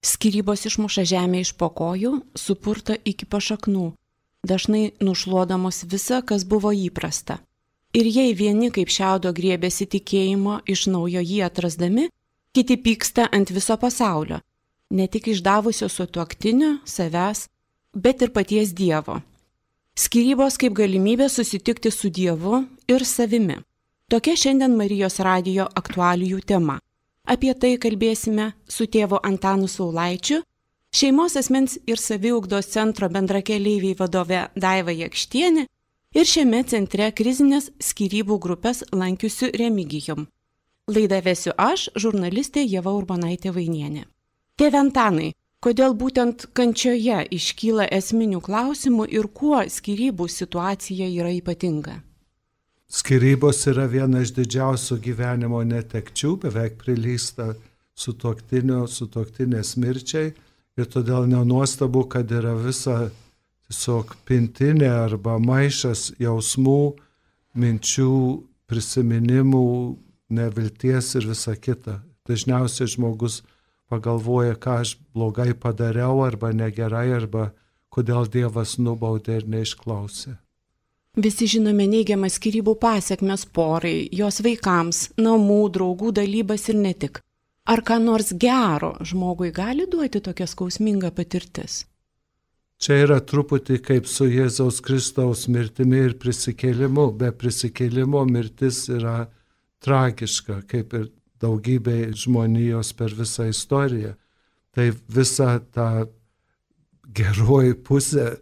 Skyrybos išmuša žemę iš po kojų, supurta iki pašaknų, dažnai nušluodamos visa, kas buvo įprasta. Ir jei vieni kaip šiaudo griebėsi tikėjimo iš naujo jį atrasdami, kiti pyksta ant viso pasaulio, ne tik išdavusio sutuoktinio, savęs, bet ir paties Dievo. Skyrybos kaip galimybė susitikti su Dievu ir savimi. Tokia šiandien Marijos radijo aktualijų tema. Apie tai kalbėsime su tėvu Antanu Saulaičiu, šeimos asmens ir saviugdos centro bendrakeleiviai vadove Daiva Jakštienė ir šiame centre krizinės skyrybų grupės lankiusiu Remigijum. Laidą vesiu aš, žurnalistė Ieva Urbonaitė Vainienė. Tėve Antanai, kodėl būtent kančioje iškyla esminių klausimų ir kuo skyrybų situacija yra ypatinga? Skyrybos yra viena iš didžiausių gyvenimo netekčių, beveik prilygsta sutuoktinės mirčiai ir todėl nenuostabu, kad yra visa tiesiog pintinė arba maišas jausmų, minčių, prisiminimų, nevilties ir visa kita. Dažniausiai žmogus pagalvoja, ką aš blogai padariau arba negerai, arba kodėl Dievas nubaudė ir neišklausė. Visi žinome neigiamas skyrybų pasekmes porai, jos vaikams, namų, draugų dalybas ir ne tik. Ar ką nors gero žmogui gali duoti tokia skausminga patirtis? Čia yra truputį kaip su Jėzaus Kristaus mirtimi ir prisikėlimu. Be prisikėlimo mirtis yra tragiška, kaip ir daugybė žmonijos per visą istoriją. Tai visa ta geroji pusė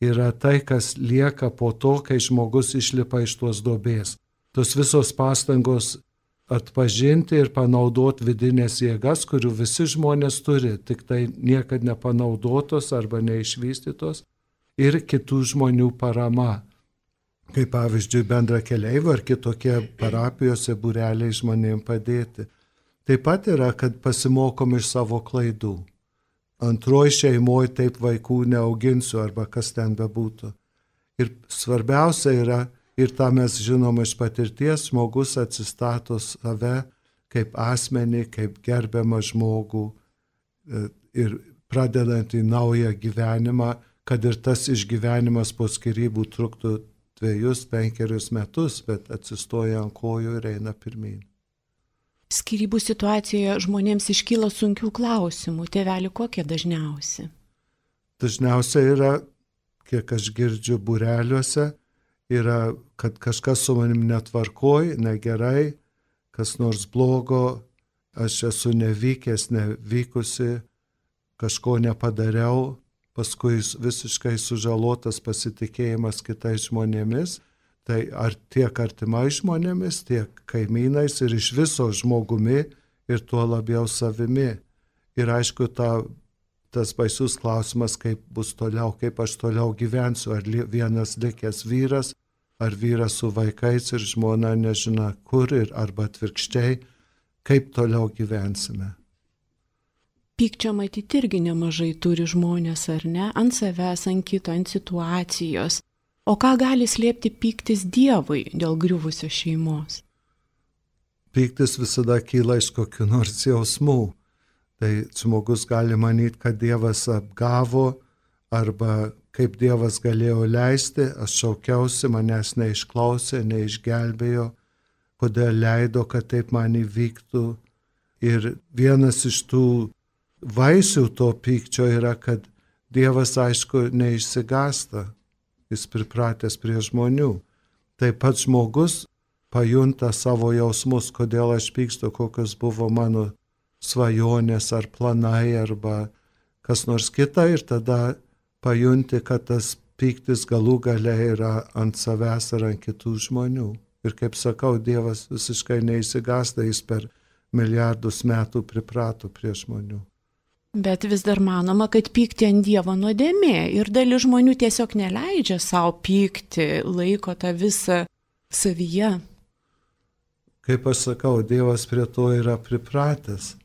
yra tai, kas lieka po to, kai žmogus išlipa iš tos duobės. Tos visos pastangos atpažinti ir panaudoti vidinės jėgas, kurių visi žmonės turi, tik tai niekad nepanaudotos arba neišvystytos, ir kitų žmonių parama. Kaip pavyzdžiui bendrakeleivių ar kitokie parapijose būreliai žmonėms padėti. Taip pat yra, kad pasimokom iš savo klaidų. Antroji šeimoje taip vaikų neauginsiu arba kas ten bebūtų. Ir svarbiausia yra, ir tą mes žinom iš patirties, žmogus atsistato save kaip asmenį, kaip gerbiamą žmogų ir pradedant į naują gyvenimą, kad ir tas išgyvenimas po skyrybų truktų 2-5 metus, bet atsistoja ant kojų ir eina pirmyn. Skyrybų situacijoje žmonėms iškyla sunkių klausimų. Tėveli, kokie dažniausi? Dažniausiai yra, kiek aš girdžiu būreliuose, yra, kad kažkas su manim netvarkoj, negerai, kas nors blogo, aš esu nevykęs, nevykusi, kažko nepadariau, paskui visiškai sužalotas pasitikėjimas kitais žmonėmis. Tai ar tiek artimai žmonėmis, tiek kaimynais ir iš viso žmogumi ir tuo labiau savimi. Ir aišku, tas baisus klausimas, kaip bus toliau, kaip aš toliau gyvensiu, ar vienas likęs vyras, ar vyras su vaikais ir žmona nežino kur, arba atvirkščiai, kaip toliau gyvensime. Pykčio matyti irgi nemažai turi žmonės, ar ne? Ant savęs, ant kito, ant situacijos. O ką gali slėpti pyktis Dievui dėl griuvusios šeimos? Pyktis visada kyla iš kokių nors jausmų. Tai žmogus gali manyti, kad Dievas apgavo arba kaip Dievas galėjo leisti, aš šaukiausi, manęs neišklausė, neišgelbėjo, kodėl leido, kad taip man įvyktų. Ir vienas iš tų vaisių to pykčio yra, kad Dievas, aišku, neišsigąsta. Jis pripratęs prie žmonių. Taip pat žmogus pajunta savo jausmus, kodėl aš pykstu, kokios buvo mano svajonės ar planai arba kas nors kita ir tada pajunti, kad tas pyktis galų gale yra ant savęs ar ant kitų žmonių. Ir kaip sakau, Dievas visiškai neišsigąsta, jis per milijardus metų priprato prie žmonių. Bet vis dar manoma, kad pykti ant Dievo nuodėmė ir dalis žmonių tiesiog neleidžia savo pykti, laiko tą visą savyje. Kaip aš sakau, Dievas prie to yra pripratęs.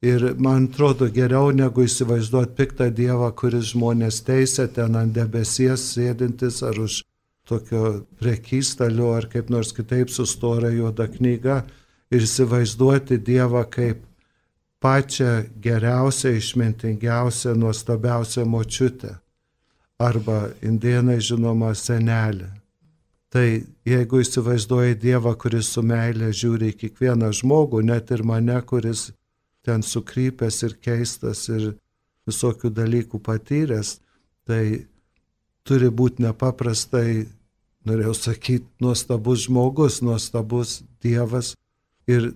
Ir man atrodo geriau negu įsivaizduoti piktą Dievą, kuris žmonės teisia ten ant debesies sėdintis ar už tokio prekystalio ar kaip nors kitaip su stora juoda knyga ir įsivaizduoti Dievą kaip pačią geriausią, išmintingiausią, nuostabiausią močiutę. Arba indėnai žinoma senelė. Tai jeigu įsivaizduoji Dievą, kuris su meilė žiūri į kiekvieną žmogų, net ir mane, kuris ten sukrypęs ir keistas ir visokių dalykų patyręs, tai turi būti nepaprastai, norėjau sakyti, nuostabus žmogus, nuostabus Dievas. Ir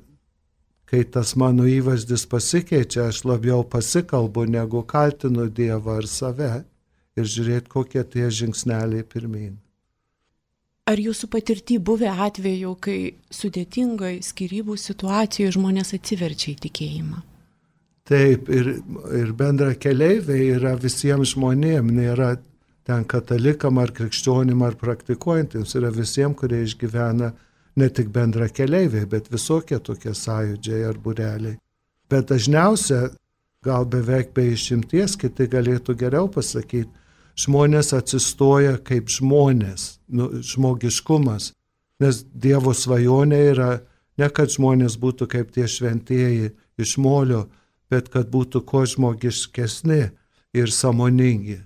kai tas mano įvaizdis pasikeičia, aš labiau pasikalbu, negu kaltinu Dievą ar save ir žiūrėti, kokie tie žingsneliai pirmyn. Ar jūsų patirty buvę atveju, kai sudėtingai skyrybų situacijoje žmonės atsiverčia į tikėjimą? Taip, ir bendra keleiviai yra visiems žmonėms, nėra ten katalikam ar krikščionim ar praktikuojantiems, yra visiems, kurie išgyvena ne tik bendra keleiviai, bet visokie tokie sąjūdžiai ar būreliai. Bet dažniausia, gal beveik be išimties, kiti galėtų geriau pasakyti, žmonės atsistoja kaip žmonės, žmogiškumas, nes Dievo svajonė yra ne kad žmonės būtų kaip tie šventieji iš molio, bet kad būtų kuo žmogiškesni ir sąmoningi.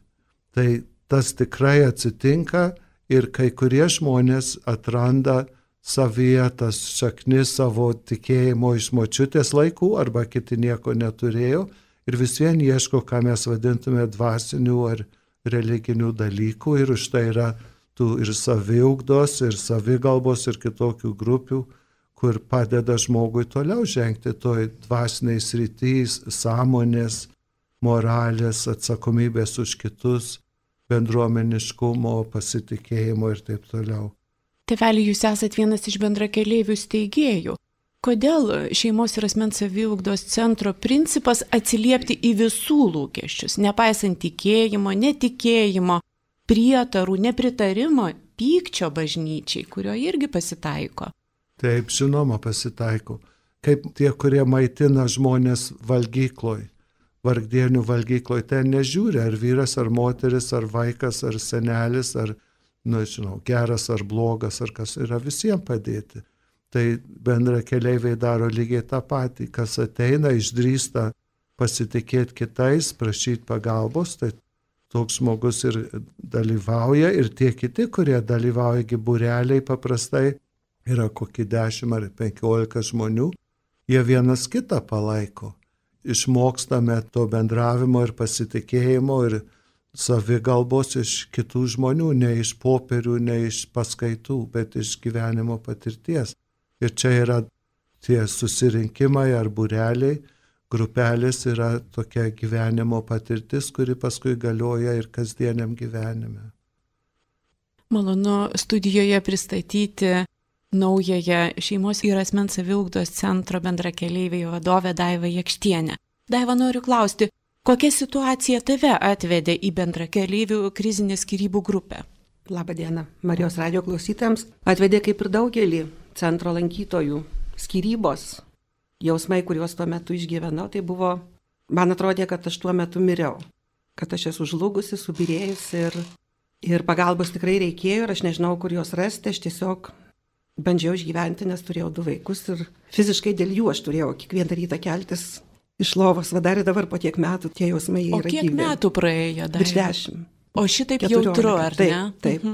Tai tas tikrai atsitinka ir kai kurie žmonės atranda savyje tas šaknis savo tikėjimo iš močiutės laikų arba kiti nieko neturėjo ir vis vien ieško, ką mes vadintume dvasinių ar religinių dalykų ir už tai yra tų ir saviugdos, ir savigalbos, ir kitokių grupių, kur padeda žmogui toliau žengti toj dvasiniai sritys, sąmonės, moralės, atsakomybės už kitus, bendruomeniškumo, pasitikėjimo ir taip toliau. Tėveli, jūs esat vienas iš bendrakeleivių steigėjų. Kodėl šeimos ir asmens saviugdos centro principas atsiliepti į visų lūkesčius, nepaisant tikėjimo, netikėjimo, prietarų, nepritarimo, pykčio bažnyčiai, kurio irgi pasitaiko? Taip, žinoma, pasitaiko. Kaip tie, kurie maitina žmonės valgykloj, vargdienių valgykloj, ten nežiūri, ar vyras, ar moteris, ar vaikas, ar senelis, ar, geras, ar blogas, ar kas, yra visiems padėti. Tai bendra keleiviai daro lygiai tą patį, kas ateina, išdrįsta pasitikėti kitais, prašyti pagalbos, tai toks žmogus ir dalyvauja ir tie kiti, kurie dalyvauja, būreliai paprastai yra kokį 10 ar 15 žmonių, jie vienas kitą palaiko. Išmokstame to bendravimo ir pasitikėjimo ir savigalbos iš kitų žmonių, ne iš popierių, ne iš paskaitų, bet iš gyvenimo patirties. Ir čia yra tie susirinkimai ar būreliai, grupelės yra tokia gyvenimo patirtis, kuri paskui galioja ir kasdieniam gyvenime. Malonu studijoje pristatyti naująją šeimos ir asmens saviugdos centro bendrakeleivių vadovę Daivą Jakštienę. Daiva, noriu klausti, kokia situacija tave atvedė į bendrakeleivių krizinę skyrybų grupę? Labadiena, Marijos radijo klausytojams. Atvedė kaip ir daugelį centro lankytojų skyrybos. Jausmai, kuriuos tuo metu išgyvenau, tai buvo, man atrodė, kad aš tuo metu miriau. Kad aš esu žlugusi, subirėjusi ir pagalbos tikrai reikėjo ir aš nežinau, kur jos rasti. Aš tiesiog bandžiau išgyventi, nes turėjau 2 vaikus ir fiziškai dėl jų aš turėjau kiekvieną rytą keltis iš lovos. Dar ir dabar po tiek metų tie jausmai yra gyvi. O kiek metų praėjo dar? Virš 10. O šitaip jautru, ar taip, ne? Taip,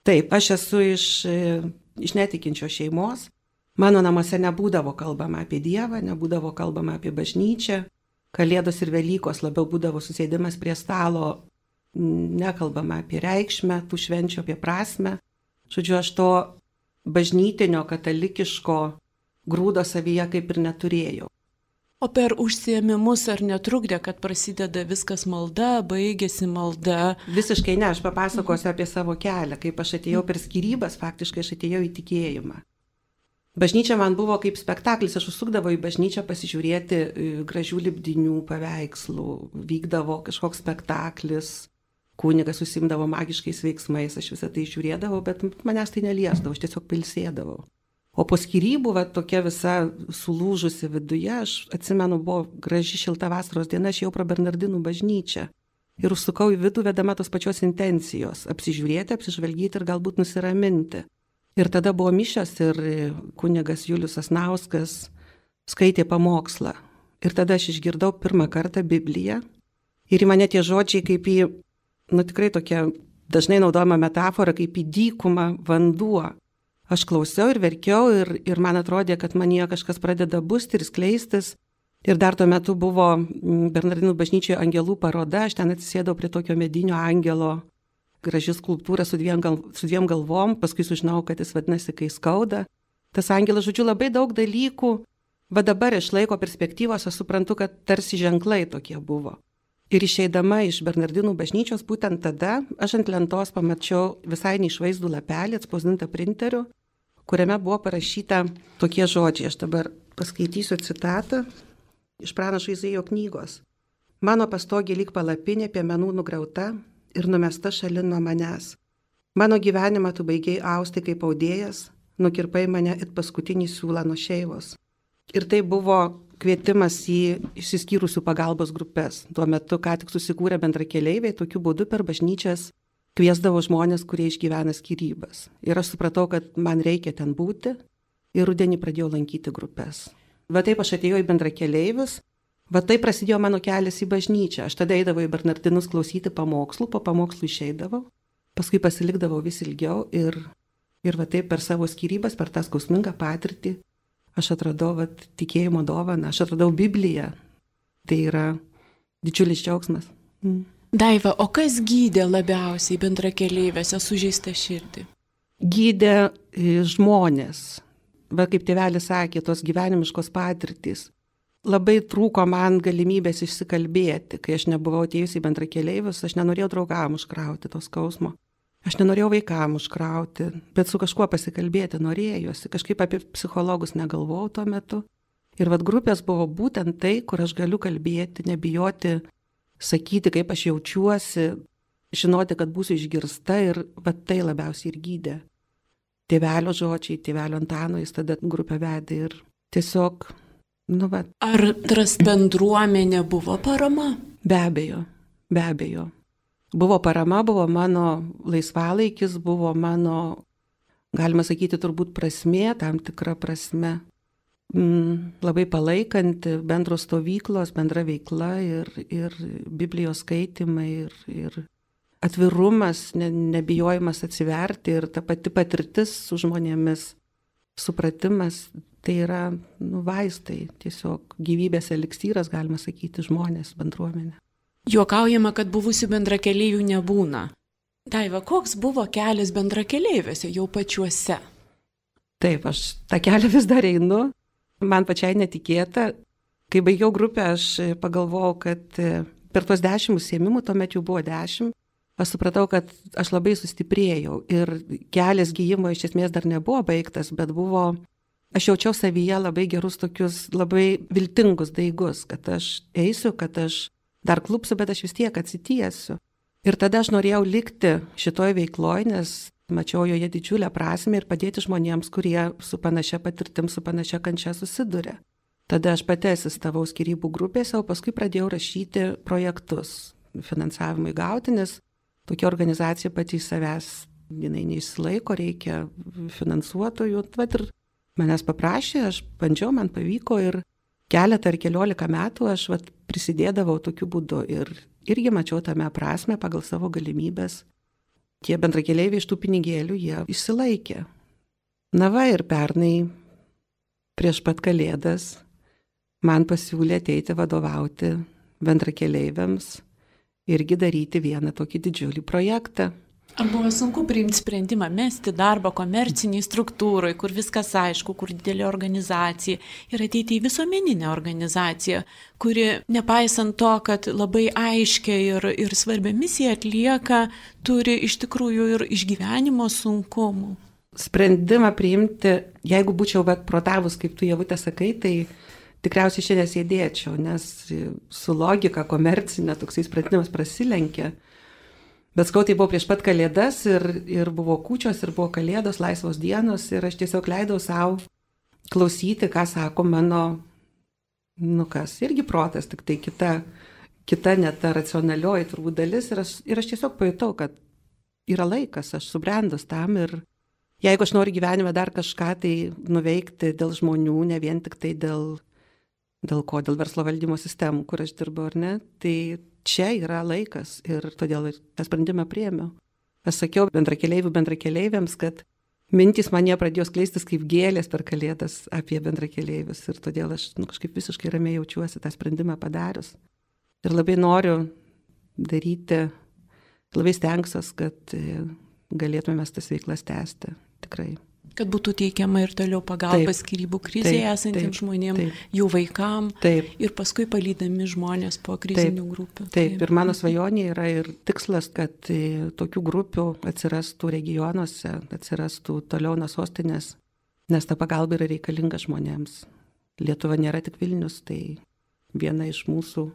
taip, aš esu iš netikinčios šeimos. Mano namuose nebūdavo kalbama apie Dievą, nebūdavo kalbama apie bažnyčią. Kalėdos ir Velykos labiau būdavo susėdimas prie stalo, nekalbama apie reikšmę, tų švenčių, apie prasmę. Žodžiu, aš to bažnytinio, katalikiško grūdo savyje kaip ir neturėjau. O per užsiėmimus ar netrukdė, kad prasideda viskas malda, baigėsi malda? Visiškai ne, aš papasakosiu apie savo kelią. Kaip aš atėjau per skyrybas, faktiškai aš atėjau į tikėjimą. Bažnyčia man buvo kaip spektaklis, aš užsukdavau į bažnyčią pasižiūrėti gražių lipdinių paveikslų, vykdavo kažkoks spektaklis, kunigas užsiimdavo magiškais veiksmais, aš visą tai žiūrėdavau, bet manęs tai neliesdavo, aš tiesiog pilsėdavau. O po skyrybų, tokia visa sulūžusi viduje, aš atsimenu, buvo graži šilta vasaros diena, aš jau pro Bernardinų bažnyčią ir užsukau į vidų vedama tos pačios intencijos - apsižiūrėti, apsižvalgyti ir galbūt nusiraminti. Ir tada buvo mišios ir kunigas Julius Sasnauskas skaitė pamokslą. Ir tada aš išgirdau pirmą kartą Bibliją. Ir į mane tie žodžiai kaip į, tikrai tokia dažnai naudojama metafora, kaip į dykumą vanduo. Aš klausiau ir verkiau ir man atrodė, kad manyje kažkas pradeda busti ir skleistis. Ir dar tuo metu buvo Bernardinų bažnyčioje angelų paroda, aš ten atsisėdau prie tokio medinio angelo, graži skulptūra su dviem galvom, paskui sužinau, kad jis vadinasi Kai skauda. Tas angelas, žodžiu, labai daug dalykų, va dabar iš laiko perspektyvos aš suprantu, kad tarsi ženklai tokie buvo. Ir išeidama iš Bernardinų bažnyčios, būtent tada aš ant lentos pamačiau visai neišvaizdų lapelį, atspausdintą printeriu, kuriame buvo parašyta tokie žodžiai. Aš dabar paskaitysiu citatą iš pranašo Izaijo knygos. Mano pastogė lyg palapinė piemenų nugriauta ir numesta šalin nuo manęs. Mano gyvenimą tu baigiai austi kaip audėjas, nukirpai mane it paskutinį siūlą nuo šeivos. Ir tai buvo kvietimas į išsiskyrusių pagalbos grupės. Tuo metu ką tik susikūrė bendrakeleiviai, tokiu būdu per bažnyčias kviesdavo žmonės, kurie išgyvena skyrybas. Ir aš supratau, kad man reikia ten būti ir rudenį pradėjau lankyti grupės. Va taip aš atėjau į bendrakeleivius, va taip prasidėjo mano kelias į bažnyčią. Aš tada eidavau į Bernardinus klausyti pamokslų, po pamokslų išeidavau, paskui pasilikdavau vis ilgiau ir va taip per savo skyrybas, per tą skausmingą patirtį aš atradau tikėjimo dovaną, aš atradau Bibliją. Tai yra didžiulis džiaugsmas. Daiva, o kas gydė labiausiai bendrakeleivėse sužeistą širdį? Gydė žmonės. Va kaip tėvelis sakė, tos gyvenimiškos patirtys. Labai trūko man galimybės išsikalbėti. Kai aš nebuvau atėjusi į bendrakeleivius, aš nenorėjau draugam užkrauti to skausmo. Aš nenorėjau vaikam užkrauti, bet su kažkuo pasikalbėti norėjosi. Kažkaip apie psichologus negalvojau tuo metu. Ir vat grupės buvo būtent tai, kur aš galiu kalbėti, nebijoti, sakyti, kaip aš jaučiuosi, žinoti, kad būsiu išgirsta ir vat tai labiausiai ir gydė. Tėvelio žodžiai, tėvelio Antano, jis tada grupę vedė ir tiesiog, Ar tras bendruomenė buvo parama? Be abejo. Buvo parama, buvo mano laisvalaikis, buvo mano, galima sakyti, turbūt prasmė, tam tikra prasme. Labai palaikanti bendros stovyklos, bendra veikla ir Biblijos skaitimai ir atvirumas, nebijojimas atsiverti ir ta pati patirtis su žmonėmis, supratimas, tai yra vaistai, tiesiog gyvybės eliksyras, galima sakyti, žmonės, bendruomenė. Juokaujama, kad buvusių bendrakeleivių nebūna. Daiva, koks buvo kelias bendrakeleiviuose jau pačiuose? Taip, aš tą kelią vis dar einu. Man pačiai netikėta. Kai baigiau grupę, aš pagalvojau, kad per tuos 10 užsiėmimų, tuomet jau buvo 10, aš supratau, kad aš labai sustiprėjau ir kelias gijimo iš esmės dar nebuvo baigtas, bet aš jaučiau savyje labai gerus tokius, labai viltingus daigus, kad aš eisiu, kad aš dar klupsiu, bet aš vis tiek atsitiesiu. Ir tada aš norėjau likti šitoj veikloj, nes mačiau joje didžiulę prasmę ir padėti žmonėms, kurie su panašia patirtim, su panašia kančia susiduria. Tada aš pati asistavau skyrybų grupėse, o paskui pradėjau rašyti projektus finansavimui gauti, nes tokia organizacija pati iš savęs, jinai neišsilaiko, reikia finansuotojų. Vat ir manęs paprašė, aš bandžiau, man pavyko ir keletą ar 14 metų aš prisidėdavau tokiu būdu ir irgi mačiau tame prasme pagal savo galimybės. Tie bendrakeleiviai iš tų pinigėlių, jie išsilaikė. Ir pernai prieš pat Kalėdas man pasiūlė ateiti vadovauti bendrakeleiviams, irgi daryti vieną tokį didžiulį projektą. Ar buvo sunku priimti sprendimą mesti darbą komerciniai struktūrai, kur viskas aišku, kur didelė organizacija, ir ateiti į visuomeninę organizaciją, kuri, nepaisant to, kad labai aiškia ir svarbią misiją atlieka, turi iš tikrųjų ir išgyvenimo sunkumų? Sprendimą priimti, jeigu būčiau protavus, kaip tu, Ievute, sakai, tai tikriausiai šiandien sėdėčiau, nes su logika komercinė toksai sprendimas prasilenkia. Bet skau, tai buvo prieš pat Kalėdas ir buvo kūčios, ir buvo Kalėdos, laisvos dienos, ir aš tiesiog leidau savo klausyti, ką sako mano, irgi protas, tik tai kita net ta racionalioji turbūt dalis, ir aš tiesiog pajutau, kad yra laikas, aš subrendus tam, ir jeigu aš noriu gyvenime dar kažką tai nuveikti dėl žmonių, ne vien tik tai dėl Dėl ko? Dėl verslo valdymo sistemų, kur aš dirbu, ar ne? Tai čia yra laikas ir todėl tą sprendimą priėmiau. Aš sakiau bendrakeleiviams, kad mintys man jie pradėjo skleistis kaip gėlės per Kalėdas apie bendrakeleivius ir todėl aš kažkaip visiškai ramiai jaučiuosi tą sprendimą padarius. Ir labai noriu daryti, labai stengsiuosi, kad galėtume mes tas veiklas tęsti, tikrai. Kad būtų teikiama ir toliau pagalba skyrybų krizėje esantiems žmonėms, jų vaikam ir paskui palydami žmonės po krizinių grupių. Taip, ir mano svajonė yra ir tikslas, kad tokių grupių atsirastų regionuose, atsirastų toliau nuo sostinės, nes ta pagalba yra reikalinga žmonėms. Lietuva nėra tik Vilnius, tai viena iš mūsų,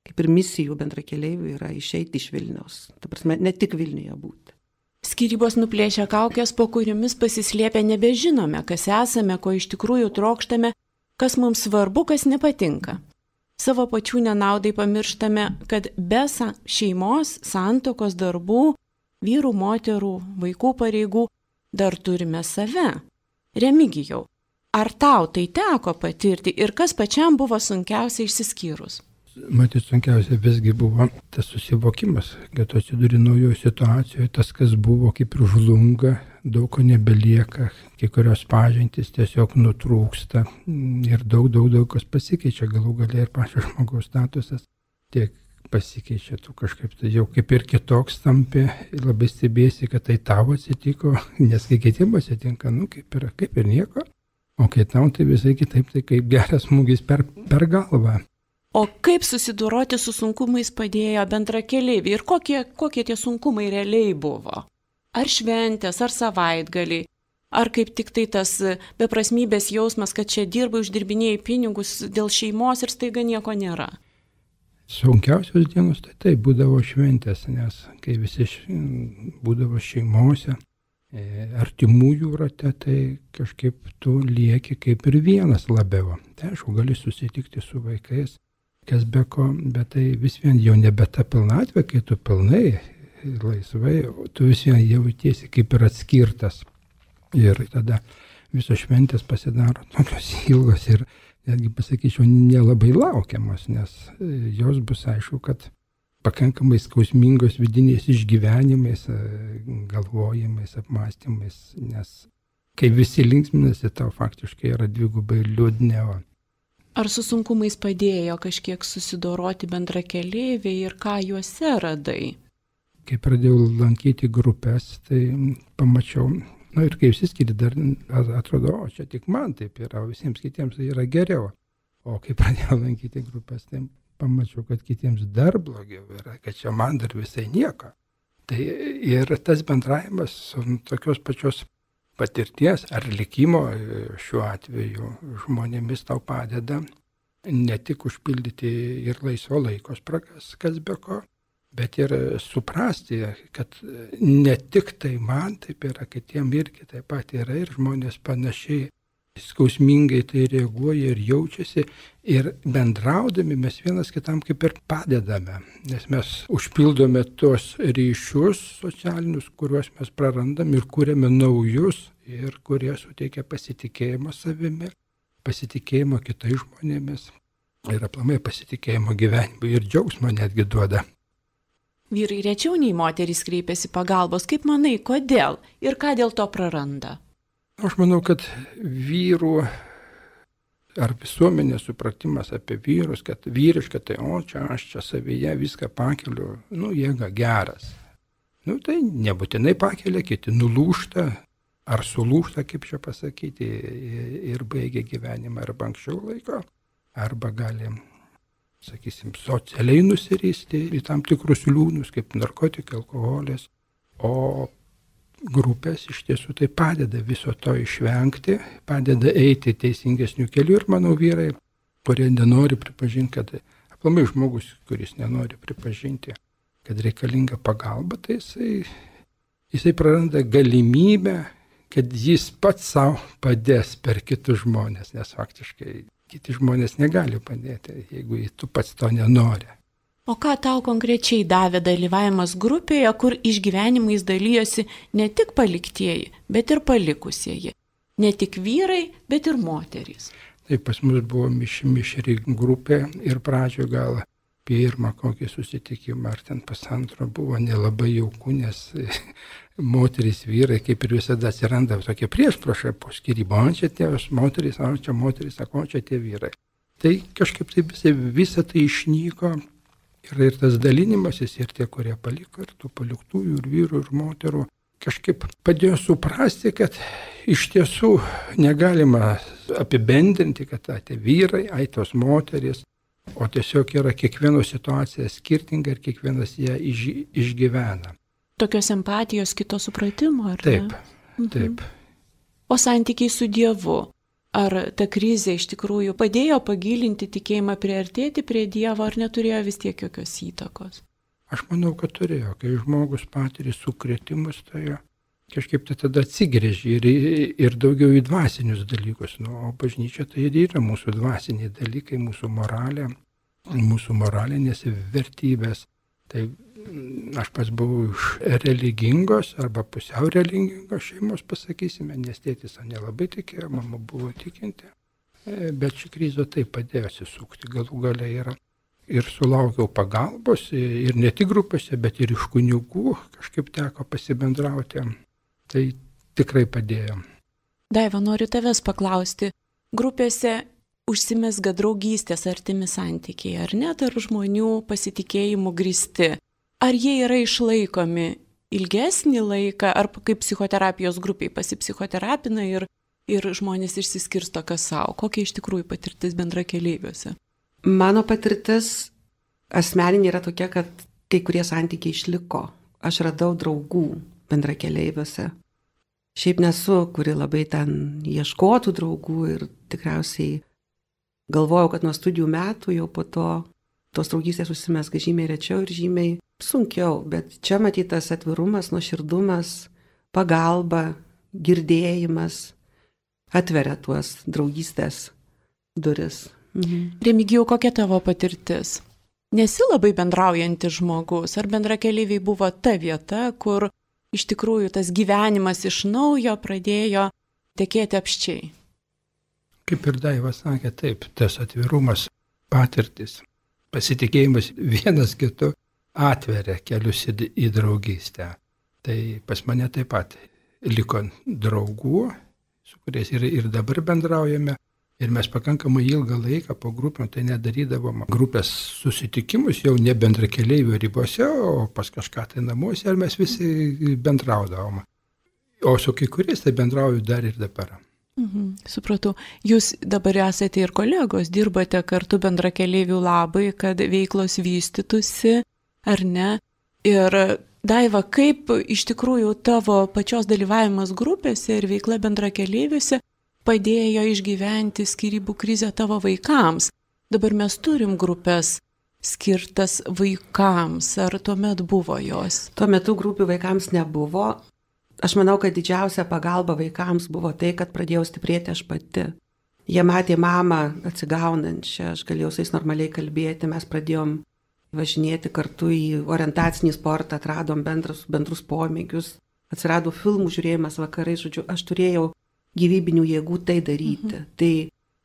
kaip ir misijų bendrakeleivių, yra išeiti iš Vilniaus. Ta prasme, ne tik Vilniuje būti. Skyrybos nuplėšia kaukės, po kuriomis pasislėpę nebežinome, kas esame, ko iš tikrųjų trokštame, kas mums svarbu, kas nepatinka. Savo pačių nenaudai pamirštame, kad be šeimos, santuokos darbų, vyrų, moterų, vaikų pareigų dar turime save. Remigijau, ar tau tai teko patirti ir kas pačiam buvo sunkiausia išsiskyrus? Matyt, sunkiausia visgi buvo tas susivokimas, kad atsiduri naujoje situacijoje, tas, kas buvo, kaip ir žlunga, daug ko nebelieka, kai kurios pažintys tiesiog nutrūksta ir daug kas pasikeičia, galų galia ir pačio žmogaus statusas tiek pasikeičia, tu kažkaip tai jau kaip ir kitoks tampi, labai stebėsi, kad tai tavo atsitiko, nes kai kitiems atsitinka, kaip ir nieko, o kai tau tai visai kitaip, tai kaip geras smūgis per galvą. O kaip susidoroti su sunkumais padėjo bendrakeleiviai ir kokie tie sunkumai realiai buvo? Ar šventės, ar savaitgaliai, ar kaip tik tai tas beprasmybės jausmas, kad čia dirbai, uždirbinėjai pinigus dėl šeimos ir staiga nieko nėra? Sunkiausios dienos tai būdavo šventės, nes kai visi būdavo šeimose, artimųjų rate, tai kažkaip tu lieki kaip ir vienas labiau. Tai aišku, gali susitikti su vaikais, kas be ko, bet tai vis vien jau nebe ta pilnatvė, kai tu pilnai, laisvai, tu vis vien jautiesi kaip ir atskirtas. Ir tada visos šventės pasidaro tokios ilgos ir netgi pasakyčiau, nelabai laukiamos, nes jos bus aišku, kad pakankamai skausmingos vidiniais išgyvenimais, galvojimais, apmąstymais, nes kai visi linksminasi, tau faktiškai yra dvigubai liūdniau. Ar su sunkumais padėjo kažkiek susidoroti bendrakeleiviai ir ką juose radai? Kai pradėjau lankyti grupės, tai pamačiau, ir kai išsiskiri, dar atrodo, čia tik man taip yra, o visiems kitiems tai yra geriau. O kai pradėjau lankyti grupės, tai pamačiau, kad kitiems dar blogiau yra, kad čia man dar visai nieko. Tai ir tas bendravimas su tokios pačios patirties ar likimo šiuo atveju žmonėmis tau padeda ne tik užpildyti ir laisvo laiko spragas, kas be ko, bet ir suprasti, kad ne tik tai man taip yra, kitiem irgi taip pat yra ir žmonės panašiai skausmingai tai reaguoja ir jaučiasi ir bendraudami mes vienas kitam kaip ir padedame, nes mes užpildome tos ryšius socialinius, kuriuos mes prarandam ir kūrėme naujus ir kurie suteikia pasitikėjimo savimi, pasitikėjimo kitais žmonėmis ir aplamai pasitikėjimo gyvenimu ir džiaugsmo netgi duoda. Vyrai rečiau nei moterys kreipiasi pagalbos, kaip manai, kodėl ir ką dėl to praranda? Aš manau, kad vyrų ar visuomenės supratimas apie vyrus, kad vyriška, tai aš čia savyje viską pakeliu, jėga geras. Tai nebūtinai pakelia, kiti nulūžta ar sulūžta, kaip čia pasakyti, ir baigia gyvenimą arba anksčiau laiko, arba gali, sakysim, socialiai nusiristi į tam tikrus liūnus, kaip narkotikai, alkoholis, o grupės iš tiesų tai padeda viso to išvengti, padeda eiti teisingesnių kelių ir manau vyrai, kurie nenori pripažinti, kad aplamai žmogus, kuris nenori pripažinti, kad reikalinga pagalba, tai jisai praranda galimybę, kad jis pats savo padės per kitus žmonės, nes faktiškai kiti žmonės negali padėti, jeigu tu pats to nenori. O ką tau konkrečiai davė dalyvavimas grupėje, kur išgyvenimais dalyjosi ne tik paliktieji, bet ir palikusieji? Ne tik vyrai, bet ir moterys. Tai pas mus buvo mišri grupė ir pradžioje gal pirmą kokį susitikimą, ar ten pusantro buvo nelabai jauku, nes moterys, vyrai, kaip ir visada atsiranda tokie priešpriešai po skyrybų. O čia tie moterys, o čia moterys, o čia tie vyrai. Tai kažkaip tai visa tai išnyko ir tas dalinimasis, ir tie, kurie paliko, ir tų paliktųjų, ir vyrų, ir moterų, kažkaip padėjo suprasti, kad iš tiesų negalima apibendrinti, kad tie vyrai, tos moterys, o tiesiog yra kiekvieno situacija skirtinga ir kiekvienas ją išgyvena. Tokios empatijos, kito supratimo, ar taip, ne? Taip. O santykiai su Dievu? Ar ta krizė iš tikrųjų padėjo pagilinti tikėjimą, priartėti prie Dievo, ar neturėjo vis tiek jokios įtakos? Aš manau, kad turėjo. Kai žmogus patyrė sukrėtimus, tai kažkaip tai tada atsigrėžė ir daugiau į dvasinius dalykus. O bažnyčia tai ir yra mūsų dvasiniai dalykai, mūsų moralė, mūsų moralinės vertybės. Tai aš pats buvau iš religingos arba pusiau religingos šeimos, pasakysime, nes tėtis nelabai tikėjo, mama buvo tikinti. Bet ši krizė taip padėjo atsisukti. Galų gale ir sulaukiau pagalbos, ir ne tik grupėse, bet ir iš kunigų kažkaip teko pasibendrauti. Tai tikrai padėjo. Daiva, noriu tavęs paklausti. Grupėse užsimezga draugystės, artimi santykiai, ar ne, tarp žmonių pasitikėjimų grįsti? Ar jie yra išlaikomi ilgesnį laiką, ar kaip psichoterapijos grupiai pasipsichoterapina ir žmonės išsiskirsto kas savo? Kokia iš tikrųjų patirtis bendrakeleiviuose? Mano patirtis asmeninė yra tokia, kad kai kurie santykiai išliko. Aš radau draugų bendrakeleiviuose. Šiaip nesu, kuri labai ten ieškotų draugų ir tikriausiai galvojau, kad nuo studijų metų jau po to tos draugystės užsimezga žymiai rečiau ir žymiai sunkiau, bet čia matytas atvirumas, nuoširdumas, pagalba, girdėjimas atveria tuos draugystės duris. Remigijau, kokia tavo patirtis? Nesi labai bendraujantis žmogus, ar bendrakeleiviai buvo ta vieta, kur iš tikrųjų tas gyvenimas iš naujo pradėjo tekėti apščiai? Kaip ir Daiva sakė, taip, tas atvirumas, patirtis, pasitikėjimas vienas kitu atveria kelius į draugystę. Tai pas mane taip pat liko draugų, su kuriais ir dabar bendraujame. Ir mes pakankamai ilgą laiką po grupėm tai nedarydavom grupės susitikimus, jau ne bendrakeleivių ribose, o pas kažką tai namuose, ir mes visi bendraudavom. O su kai kuriais tai bendrauju dar ir dabar. Supratau. Jūs dabar esate ir kolegos, dirbate kartu bendrakeleivių labai, kad veiklos vystytųsi, ar ne? Ir Daiva, kaip iš tikrųjų tavo pačios dalyvavimas grupėse ir veikla bendrakeleiviuose padėjo išgyventi skyrybų krizę tavo vaikams? Dabar mes turim grupės skirtas vaikams, ar tuomet buvo jos? Tuo metu grupių vaikams nebuvo. Aš manau, kad didžiausia pagalba vaikams buvo tai, kad pradėjau stiprėti aš pati. Jie matė mamą atsigaunančią, aš galėjau su jais normaliai kalbėti, mes pradėjom važinėti kartu į orientacinį sportą, atradom bendrus pomėgius, atsirado filmų žiūrėjimas vakarai, žodžiu, aš turėjau gyvybinių jėgų tai daryti. Tai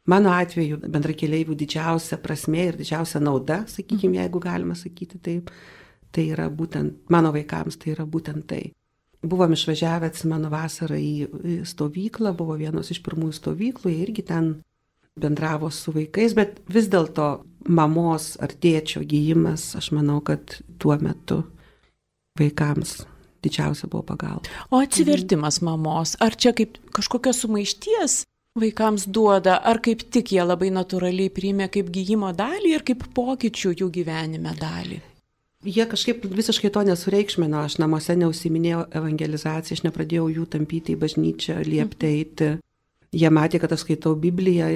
mano atveju bendrakeleivių didžiausia prasmė ir didžiausia nauda, sakykime, jeigu galima sakyti taip, tai yra būtent, mano vaikams tai yra būtent tai. Buvom išvažiavę, atsimenu, vasarą į stovyklą, buvo vienos iš pirmųjų stovyklų, jie irgi ten bendravo su vaikais, bet vis dėlto mamos ar tėčio gijimas, aš manau, kad tuo metu vaikams didžiausia buvo pagalba. O atsivertimas mamos, ar čia kaip kažkokios sumaišties vaikams duoda, ar kaip tik jie labai natūraliai priėmė kaip gijimo dalį ir kaip pokyčių jų gyvenime dalį? Jie kažkaip visiškai to nesureikšmino, aš namuose neužsiminėjau evangelizaciją, aš nepradėjau jų tampyti į bažnyčią, liepti eiti. Jie matė, kad aš skaitau Bibliją,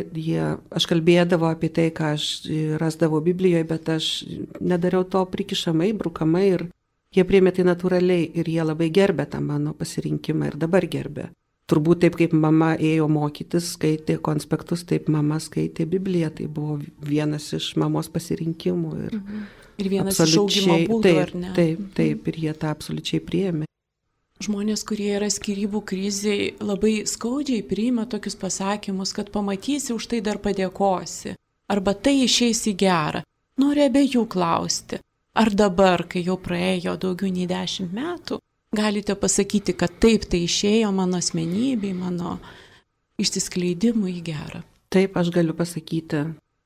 aš kalbėdavau apie tai, ką aš rasdavau Biblijoje, bet aš nedariau to prikišamai, brukamai ir jie priėmė tai natūraliai ir jie labai gerbė tą mano pasirinkimą ir dabar gerbė. Turbūt taip, kaip mama ėjo mokytis, skaitė konspektus, taip mama skaitė Bibliją, tai buvo vienas iš mamos pasirinkimų. Ir vienas iš augimo būdų, ar ne? Taip, ir jie tą absoliučiai priėmė. Žmonės, kurie yra skyrybų krizėje, labai skaudžiai priima tokius pasakymus, kad pamatysi, už tai dar padėkosi. Arba tai išeis į gerą. Noriu abiejų klausti. Ar dabar, kai jau praėjo daugiau nei 10 metų, galite pasakyti, kad taip tai išėjo mano asmenybei, mano išsiskleidimui į gerą? Taip, aš galiu pasakyti,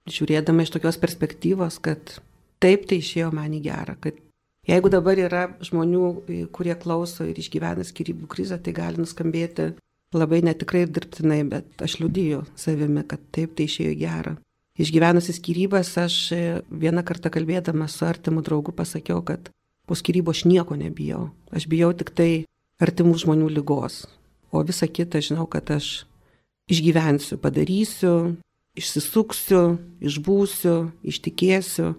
žiūrėdama iš tokios perspektyvos, kad taip tai išėjo man į gerą, kad jeigu dabar yra žmonių, kurie klauso ir išgyvena skyrybų krizę, tai gali nuskambėti labai netikrai ir dirbtinai, bet aš liudiju savimi, kad taip tai išėjo į gerą. Išgyvenusi skyrybas, aš vieną kartą kalbėdama su artimu draugu pasakiau, kad po skyrybų aš nieko nebijau. Aš bijau tik tai artimų žmonių ligos, o visa kita žinau, kad aš išgyvensiu, padarysiu, išsisuksiu, išbūsiu, ištikėsiu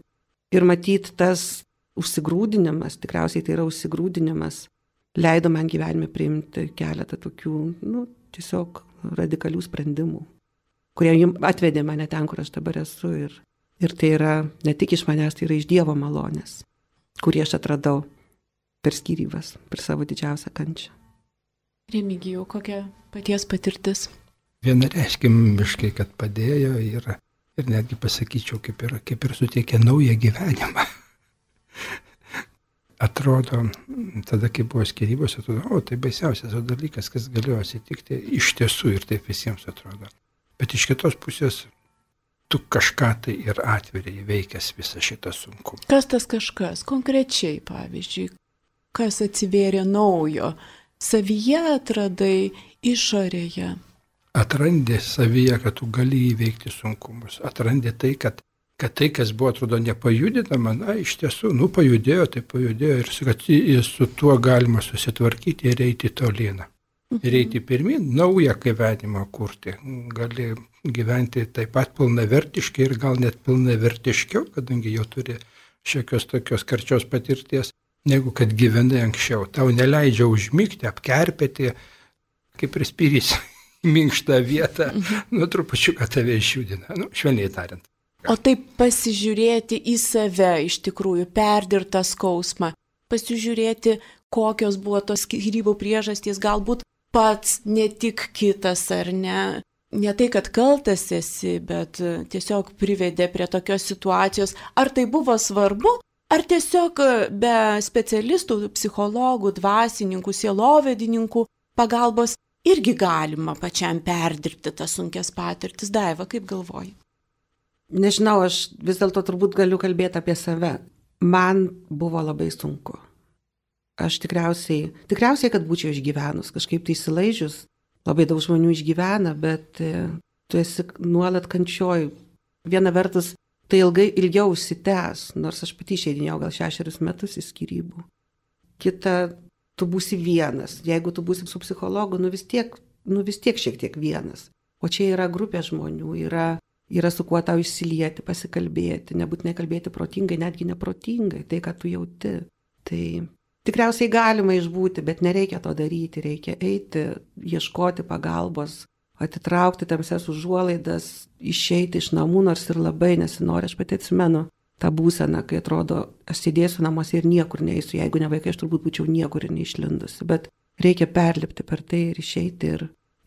ir matyt tas užsigrūdinimas, tikriausiai tai yra užsigrūdinimas, leido man gyvenime priimti keletą tokių, tiesiog radikalių sprendimų, kurie atvedė mane ten, kur aš dabar esu. Ir tai yra ne tik iš manęs, tai yra iš Dievo malonės, kurį aš atradau per skyrybas, per savo didžiausią kančią. Remigijau, kokia paties patirtis? Vienareiškimiškai, kad padėjo ir netgi pasakyčiau, kaip ir suteikė naują gyvenimą. Atrodo, tada, kai buvo skyrybos, atrodo, tai baisiausias dalykas, kas galėjo atsitikti iš tiesų ir taip visiems atrodo. Bet iš kitos pusės, tu kažką tai ir atveri įveikęs visą šitą sunkumą. Kas tas kažkas? Konkrečiai, pavyzdžiui, kas atsivėrė naujo? Savyje atradai, išorėje? Atrandi savyje, kad tu gali įveikti sunkumus. Atrandi tai, kad tai, kas buvo, atrodo, nepajudinama, iš tiesų, pajudėjo, tai pajudėjo ir kad su tuo galima susitvarkyti ir eiti tolyn. Ir eiti pirmin, naują gyvenimą kurti. Gali gyventi taip pat pilnavertiškai ir gal net pilnavertiškiau, kadangi jau turi šiokios tokios karčios patirties, negu kad gyvenai anksčiau. Tau neleidžia užmigti, apkerpėti, kaip prispyrys minkštą vietą, trupučiuką tave išjudina, švelniai tariant. O taip pasižiūrėti į save iš tikrųjų, perdirtą skausmą, pasižiūrėti, kokios buvo tos skyrybų priežastys, galbūt pats, ne tik kitas, ar ne. Ne tai, kad kaltas esi, bet tiesiog privedė prie tokios situacijos. Ar tai buvo svarbu, ar tiesiog be specialistų, psichologų, dvasininkų, sielovedininkų pagalbos irgi galima pačiam perdirbti tas sunkias patirtis? Daiva, kaip galvoji? Nežinau, aš vis dėlto turbūt galiu kalbėti apie save. Man buvo labai sunku. Aš tikriausiai, kad būčiau išgyvenus, kažkaip tai įsilaižius. Labai daug žmonių išgyvena, bet tu esi nuolat kančioj. Viena vertus, tai ilgiau užsitęs, nors aš pati išeidinėjau gal 6 metus į skyrybų. Kita, tu būsi vienas. Jeigu tu būsi su psichologu, vis tiek šiek tiek vienas. O čia yra grupė žmonių, yra su kuo tau išsilieti, pasikalbėti, nebūtinai kalbėti protingai, netgi neprotingai, tai, ką tu jauti. Tai tikriausiai galima išbūti, bet nereikia to daryti, reikia eiti, ieškoti pagalbos, atitraukti tamsias užuolaidas, išeiti iš namų, nors ir labai nesinori. Aš pati atsimenu tą būseną, kai atrodo, aš sėdėsiu namuose ir niekur neįsiu, jeigu ne vaikai, aš turbūt būčiau niekur ir neišlindusi, bet reikia perlipti per tai ir išeiti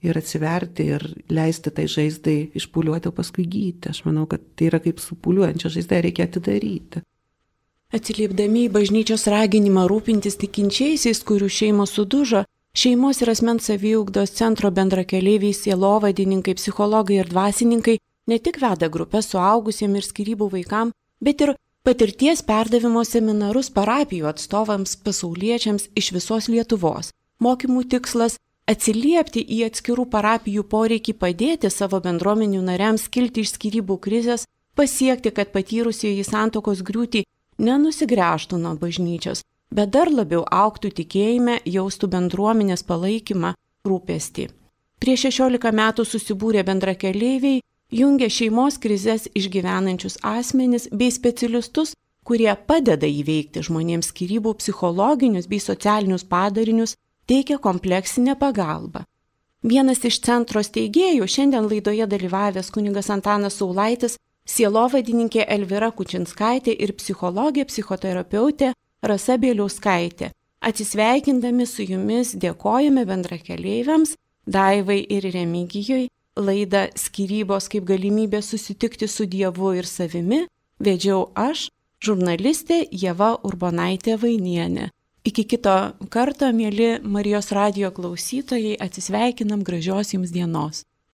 ir atsiverti ir leisti tai žaizdai išpūliuoti, o paskui gydyti. Aš manau, kad tai yra kaip su pūliuojančia žaizda, reikia atidaryti. Atsiliepdami į bažnyčios raginimą rūpintis tikinčiaisiais, kurių šeimos sudužo, šeimos ir asmens saviugdos centro bendrakeleiviai, sielovadininkai, psichologai ir dvasininkai ne tik veda grupės suaugusiems ir skyrybų vaikams, bet ir patirties perdavimo seminarus parapijų atstovams pasauliečiams iš visos Lietuvos. Mokymų tikslas – atsiliepti į atskirų parapijų poreikį padėti savo bendruomenių nariams kilti iš skyrybų krizės, pasiekti, kad patyrusieji santuokos griūtį nenusigręžtų nuo bažnyčios, bet dar labiau augtų tikėjime, jaustų bendruomenės palaikymą, rūpestį. Prieš 16 metų susibūrė bendrakeleiviai, jungia šeimos krizės išgyvenančius asmenis bei specialistus, kurie padeda įveikti žmonėms skyrybų psichologinius bei socialinius padarinius, teikia kompleksinę pagalbą. Vienas iš centro steigėjų, šiandien laidoje dalyvavęs kunigas Antanas Saulaitis, sielovadininkė Elvira Kučinskaitė ir psichologė, psichoterapeutė Rasa Bieliauskaitė. Atsisveikindami su jumis dėkojame bendrakeleiviams Daivai ir Remigijui. Laidą Skyrybos kaip galimybė susitikti su Dievu ir savimi vedžiau aš, žurnalistė Ieva Urbonaitė Vainienė. Iki kito karto, mieli Marijos radijo klausytojai, atsisveikinam, gražios jums dienos.